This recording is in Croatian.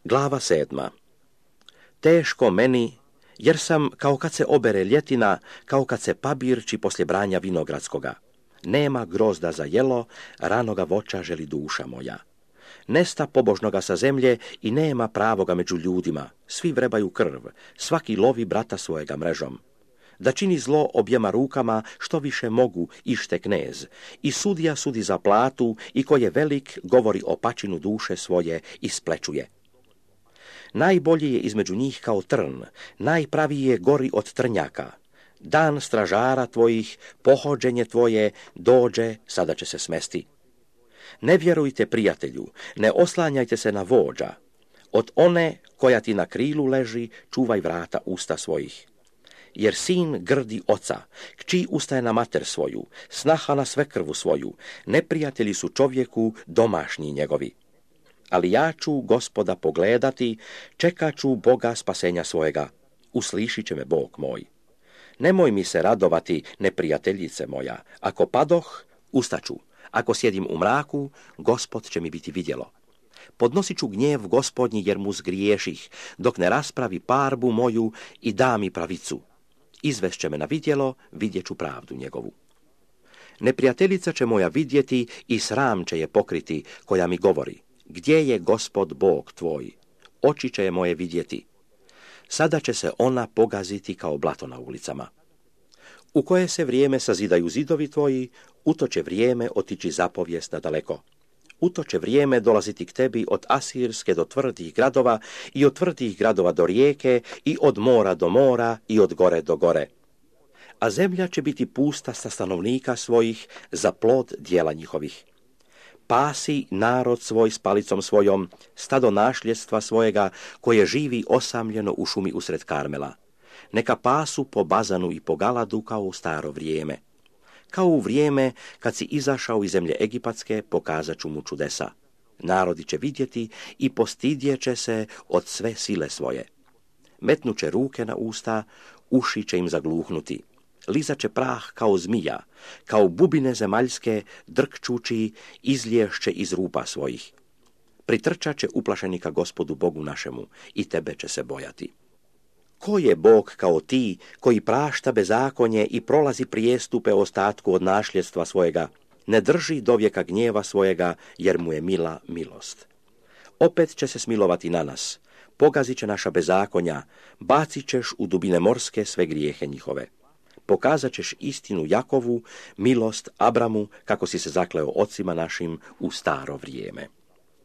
Glava 7. Teško meni, jer sam kao kad se obere ljetina, kao kad se pabirči poslije branja vinogradskoga. Nema grozda za jelo, ranoga voća želi duša moja. Nesta pobožnoga sa zemlje i nema pravoga među ljudima. Svi vrebaju krv, svaki lovi brata svojega mrežom. Da čini zlo objema rukama što više mogu ište knez. I sudija sudi za platu i ko je velik govori o pačinu duše svoje i splečuje. Najbolji je između njih kao trn, najpraviji je gori od trnjaka. Dan stražara tvojih, pohođenje tvoje, dođe, sada će se smesti. Ne vjerujte prijatelju, ne oslanjajte se na vođa. Od one koja ti na krilu leži, čuvaj vrata usta svojih. Jer sin grdi oca, kći ustaje na mater svoju, snaha na svekrvu svoju, neprijatelji su čovjeku domašnji njegovi. Ali ja ću Gospoda pogledati, čekat ću Boga spasenja svojega. Uslišit će me Bog moj. Nemoj mi se radovati, neprijateljice moja. Ako padoh, ustaću. Ako sjedim u mraku, Gospod će mi biti vidjelo. Podnosit ću gnjev Gospodnji jer mu zgriješih, dok ne raspravi parbu moju i da mi pravicu. Izvešće me na vidjelo, vidjet ću pravdu njegovu. Neprijateljica će moja vidjeti i sram će je pokriti, koja mi govori: gdje je Gospod Bog tvoj? Oči će je moje vidjeti. Sada će se ona pogaziti kao blato na ulicama. U koje se vrijeme sazidaju zidovi tvoji, u to će vrijeme otići zapovijest nadaleko. U to će vrijeme dolaziti k tebi od Asirske do tvrdih gradova i od tvrdih gradova do rijeke i od mora do mora i od gore do gore. A zemlja će biti pusta sa stanovnika svojih za plod dijela njihovih. Pasi narod svoj s palicom svojom, stado našljedstva svojega, koje živi osamljeno u šumi usred Karmela. Neka pasu po Bazanu i po Galadu kao u staro vrijeme. Kao u vrijeme kad si izašao iz zemlje Egipatske, pokazat ću mu čudesa. Narodi će vidjeti i postidjet će se od sve sile svoje. Metnuće ruke na usta, uši će im zagluhnuti. Lizat će prah kao zmija, kao bubine zemaljske, drkčući, izliješće iz rupa svojih. Pritrčat će uplašenika Gospodu Bogu našemu i tebe će se bojati. Ko je Bog kao ti, koji prašta bezakonje i prolazi prijestupe ostatku od našljedstva svojega, ne drži do vijeka gnjeva svojega, jer mu je mila milost. Opet će se smilovati na nas, pogazit će naša bezakonja, bacit ćeš u dubine morske sve grijehe njihove. Pokazat ćeš istinu Jakovu, milost Abramu, kako si se zakleo ocima našim u staro vrijeme.